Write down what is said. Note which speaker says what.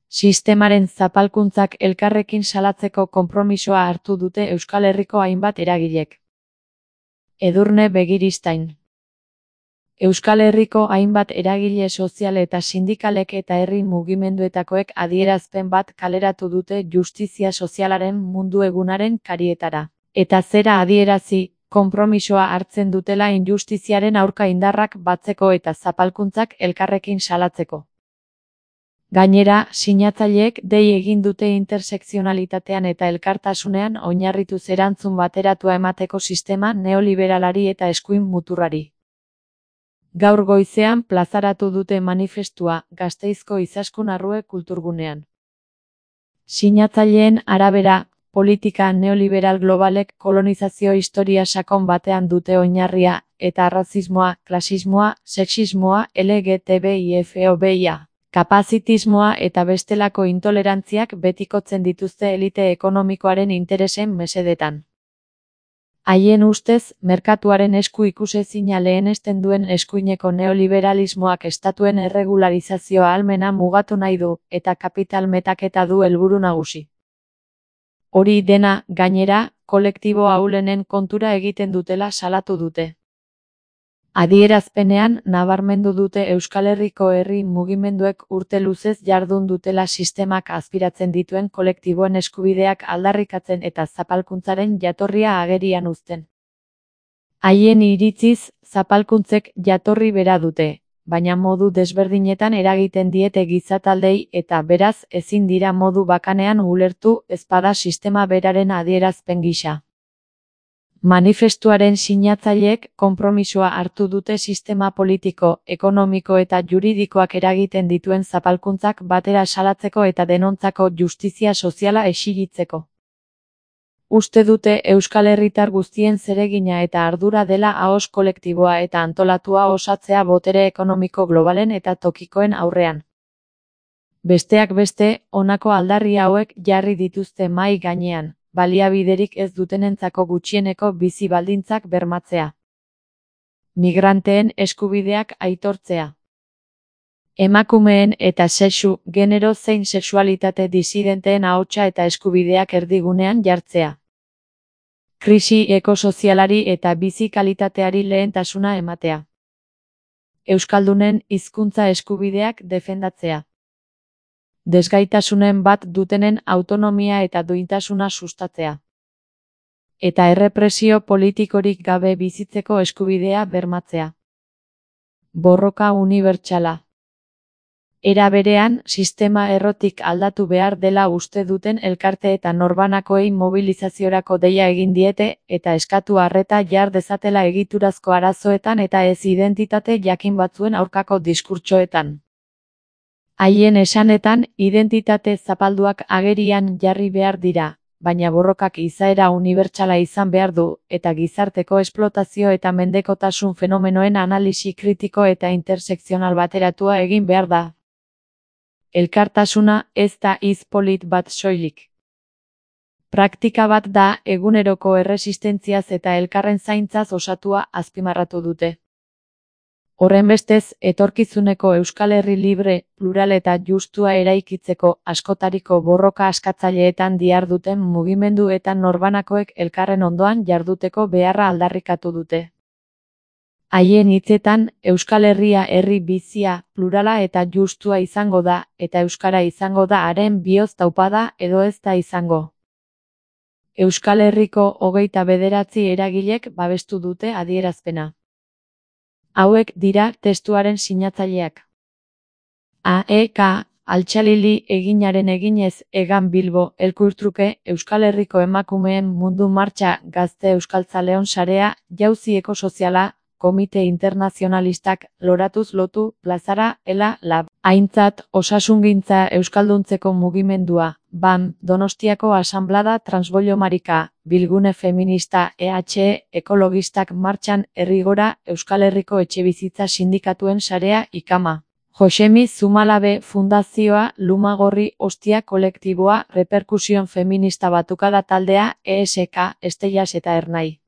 Speaker 1: Sistemaren zapalkuntzak elkarrekin salatzeko konpromisoa hartu dute Euskal Herriko hainbat eragilek. Edurne Begiristain. Euskal Herriko hainbat eragile sozial eta sindikalek eta herri mugimenduetakoek adierazpen bat kaleratu dute justizia sozialaren mundu egunaren karietara. Eta zera adierazi, konpromisoa hartzen dutela injustiziaren aurka indarrak batzeko eta zapalkuntzak elkarrekin salatzeko. Gainera, sinatzaileek dei egin dute intersekzionalitatean eta elkartasunean oinarrituz erantzun bateratua emateko sistema neoliberalari eta eskuin muturrari. Gaur goizean plazaratu dute manifestua Gasteizko Izaskun Arrue kulturgunean. Sinatzaileen arabera, politika neoliberal globalek kolonizazio historia sakon batean dute oinarria, eta arrazismoa, klasismoa, sexismoa, LGTBI-fobia, kapazitismoa eta bestelako intolerantziak betikotzen dituzte elite ekonomikoaren interesen mesedetan. Haien ustez, merkatuaren esku ikusezina lehenesten duen eskuineko neoliberalismoak estatuen erregularizazioa ahalmena mugatu nahi du, eta kapital metaketa du helburu nagusi. Hori dena, gainera, kolektibo ahulenen kontura egiten dutela salatu dute. Adierazpenean, nabarmendu dute Euskal Herriko herri mugimenduek urte luzez jardun dutela sistemak azpiratzen dituen kolektiboen eskubideak aldarrikatzen eta zapalkuntzaren jatorria agerian uzten. Haien iritziz, zapalkuntzek jatorri bera dute, baina modu desberdinetan eragiten diete gizataldei eta beraz ezin dira modu bakanean ulertu ezpada sistema beraren adierazpen gisa. Manifestuaren sinatzaileek konpromisoa hartu dute sistema politiko, ekonomiko eta juridikoak eragiten dituen zapalkuntzak batera salatzeko eta denontzako justizia soziala exigitzeko. Uste dute Euskal Herritar guztien zeregina eta ardura dela ahoz kolektiboa eta antolatua osatzea botere ekonomiko globalen eta tokikoen aurrean. Besteak beste, honako aldarri hauek jarri dituzte mahai gainean. Baliabiderik ez dutenentzako gutxieneko bizi baldintzak bermatzea. Migranteen eskubideak aitortzea. Emakumeen eta sexu, genero zein sexualitate disidenteen ahotsa eta eskubideak erdigunean jartzea. Krisi ekosozialari eta bizi kalitateari lehentasuna ematea. Euskaldunen hizkuntza eskubideak defendatzea. Desgaitasunen bat dutenen autonomia eta duintasuna sustatzea. Eta errepresio politikorik gabe bizitzeko eskubidea bermatzea. Borroka unibertsala. Era berean, sistema errotik aldatu behar dela uste duten elkarte eta norbanakoei mobilizaziorako deia egin diete eta eskatu arreta jar dezatela egiturazko arazoetan eta ez identitate jakin batzuen aurkako diskurtsoetan. Haien esanetan, identitate zapalduak agerian jarri behar dira, baina borrokak izaera unibertsala izan behar du, eta gizarteko esplotazio eta mendekotasun fenomenoen analisi kritiko eta intersekzional bateratua egin behar da. Elkartasuna ez da hitz polit bat soilik. Praktika bat da eguneroko erresistentziaz eta elkarren zaintzaz osatua azpimarratu dute. Horrenbestez, etorkizuneko Euskal Herri libre, plural eta justua eraikitzeko askotariko borroka askatzaileetan diharduten mugimendu eta norbanakoek elkarren ondoan jarduteko beharra aldarrikatu dute. Haien hitzetan, Euskal Herria herri bizia, plurala eta justua izango da, eta euskara izango da haren bihotz taupada edo ez da izango. Euskal Herriko 29 eragilek babestu dute adierazpena. Hauek dira testuaren sinatzaileak. AEK, Altxalili eginaren eginez Egan Bilbo Elkurtruke Euskal Herriko emakumeen mundu martxa gazte euskaltzaleon sarea, jauzi ekosoziala, komite internazionalistak, loratuz lotu, plazara, ela, lab. Aintzat, osasungintza euskalduntzeko mugimendua, BAM, Donostiako asanblada transboliomarika, bilgune feminista, EH, ekologistak martxan, herrigora, Euskal Herriko etxebizitza sindikatuen sarea, ikama. Josemi Zumalabe Fundazioa, Lumagorri Ostia kolektiboa, reperkusion feminista batukada taldea, ESK, Estellas eta Ernai.